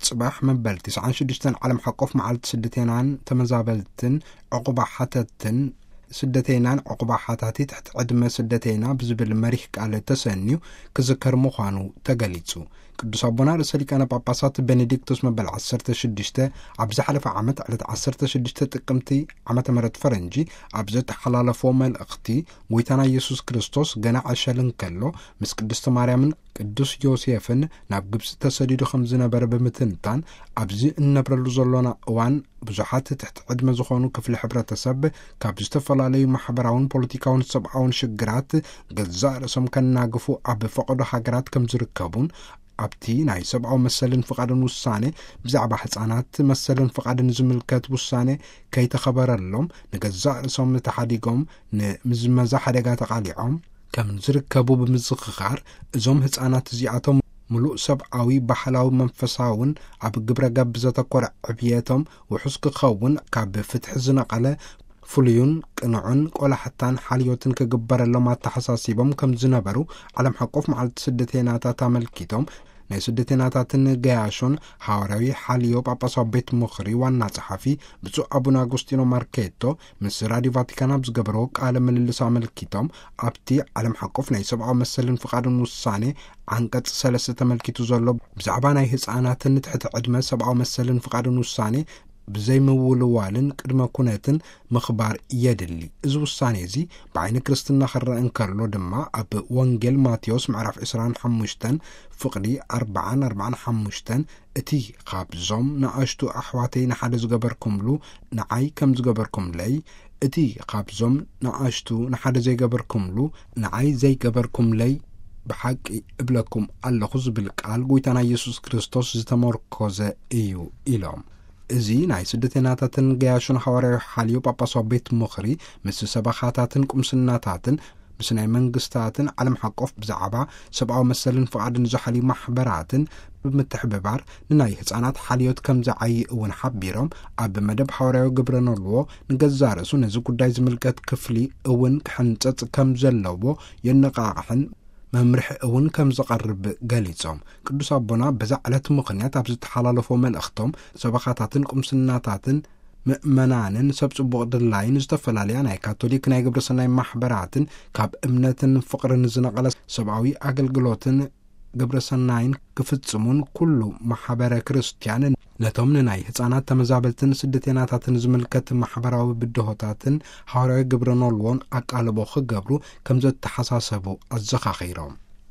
ጽባሕ መበል ትስዓን ሽዱሽተን ዓለም ሓቆፍ መዓልቲ ስደተይናን ተመዛበልትን ዕቑባ ሓተትን፣ ስደተይናን ዕቑባ ሓታቲ ትሕቲ ዕድመ ስደተይና ብዝብል መሪሕ ቃል ተሰንዩ ክዝከር ምዃኑ ተገሊጹ። ቅዱስ ኣቦና ርእሰ ሊቃነ ጳጳሳት ቤኔዲክቶስ መበል ዓሰርተ ሽዱሽተ ኣብ ዝሓለፈ ዓመት ዕለት ዓሰርተ ሽዱሽተ ጥቅምቲ ዓመተ ምህረት ፈረንጂ ኣብ ዘተሓላለፎ መልእኽቲ፣ ጎይታና ኢየሱስ ክርስቶስ ገና ዕሸል እንከሎ ምስ ቅድስቲ ማርያምን ቅዱስ ዮሴፍን ናብ ግብጺ ተሰዲዱ ከም ዝነበረ ብምትንታን፣ ኣብዚ እንነብረሉ ዘሎና እዋን ብዙሓት ትሕቲ ዕድመ ዝኾኑ ክፍሊ ሕብረተሰብ ካብ ዝተፈላለዩ ማሕበራውን ፖለቲካውን ሰብኣውን ሽግራት ገዛእ ርእሶም ከናግፉ ኣብ ፈቐዶ ሃገራት ከም ዝርከቡን፣ ኣብቲ ናይ ሰብኣዊ መሰልን ፍቓድን ውሳኔ ብዛዕባ ህጻናት መሰልን ፍቓድን ዝምልከት ውሳኔ ከይተኸበረሎም ንገዛእ ርእሶም ተሓዲጎም ንምዝመዛ ሓደጋ ተቓሊዖም ከም ዝርከቡ ብምዝኽኻር፣ እዞም ህጻናት እዚኣቶም ምሉእ ሰብኣዊ፣ ባህላዊ፣ መንፈሳውን ኣብ ግብረ ገብ ዘተኮረ ዕብየቶም ውሑስ ክኸውን ካብ ፍትሒ ዝነቐለ ፍሉዩን ቅኑዕን ቆላሕታን ሓልዮትን ክግበረሎም ኣተሓሳሲቦም ከም ዝነበሩ ዓለም ሓቆፍ መዓልቲ ስደተይናታት ኣመልኪቶም፣ ናይ ስደተይናታትን ገያሾን ሃዋርያዊ ሓልዮ ጳጳሳዊ ቤት ምኽሪ ዋና ጸሓፊ ብፁዕ ኣቡነ ኣጎስጢኖ ማርኬቶ ምስ ራዲዮ ቫቲካን ኣብ ዝገበርዎ ቃለ ምልልስ ኣመልኪቶም፣ ኣብቲ ዓለም ሓቆፍ ናይ ሰብኣዊ መሰልን ፍቓድን ውሳኔ ዓንቀጽ ሰለስተ ተመልኪቱ ዘሎ ብዛዕባ ናይ ህጻናትን ትሕቲ ዕድመ ሰብኣዊ መሰልን ፍቓድን ውሳኔ ብዘይምውልዋልን ቅድመ ኩነትን ምኽባር የድሊ። እዚ ውሳኔ እዚ ብዓይኒ ክርስትና ክረአ እንከሎ ድማ፣ ኣብ ወንጌል ማቴዎስ ምዕራፍ ዕስራን ሓሙሽተን ፍቕዲ ኣርባዓን ኣርባዓን ሓሙሽተን፣ እቲ ካብዞም ንኣሽቱ ኣሕዋተይ ንሓደ ዝገበርኩምሉ ንዓይ ከም ዝገበርኩምለይ፣ እቲ ካብዞም ንኣሽቱ ንሓደ ዘይገበርኩምሉ ንዓይ ዘይገበርኩምለይ ብሓቂ እብለኩም ኣለኹ ዝብል ቃል ጎይታና ኢየሱስ ክርስቶስ ዝተመርኮዘ እዩ ኢሎም። እዚ ናይ ስደተይናታትን ገያሾን ሃዋርያዊ ሓልዮ ጳጳሳዊ ቤት ምኽሪ ምስ ሰበኻታትን ቁምስናታትን ምስ ናይ መንግስታትን ዓለም ሓቆፍ ብዛዕባ ሰብኣዊ መሰልን ፍቓድን ዝሓልዩ ማሕበራትን ብምትሕብባር ንናይ ህጻናት ሓልዮት ከም ዝዓዪ እውን ሓቢሮም፣ ኣብ መደብ ሃዋርያዊ ግብረ ኖልዎ ንገዛእ ርእሱ ነዚ ጉዳይ ዝምልከት ክፍሊ እውን ክሕንጸጽ ከም ዘለዎ የነቓቕሕን መምርሒ እውን ከም ዝቐርብ ገሊጾም። ቅዱስ ኣቦና በዛ ዕለት ምኽንያት ኣብ ዝተሓላለፎ መልእኽቶም፣ ሰበኻታትን ቁምስናታትን ምእመናንን ሰብ ጽቡቕ ድላይን ዝተፈላለያ ናይ ካቶሊክ ናይ ግብረ ሰናይ ማሕበራትን ካብ እምነትን ፍቕርን ዝነቐለ ሰብኣዊ ኣገልግሎትን ግብረ ሰናይን ክፍጽሙን፣ ኩሉ ማሕበረ ክርስቲያን ነቶም ንናይ ህጻናት ተመዛበልትን ስደተይናታትን ዝምልከት ማሕበራዊ ብድሆታትን ሃዋርያዊ ግብረ ኖልዎን ኣቃልቦ ክገብሩ ከም ዘተሓሳሰቡ ኣዘኻኺሮም።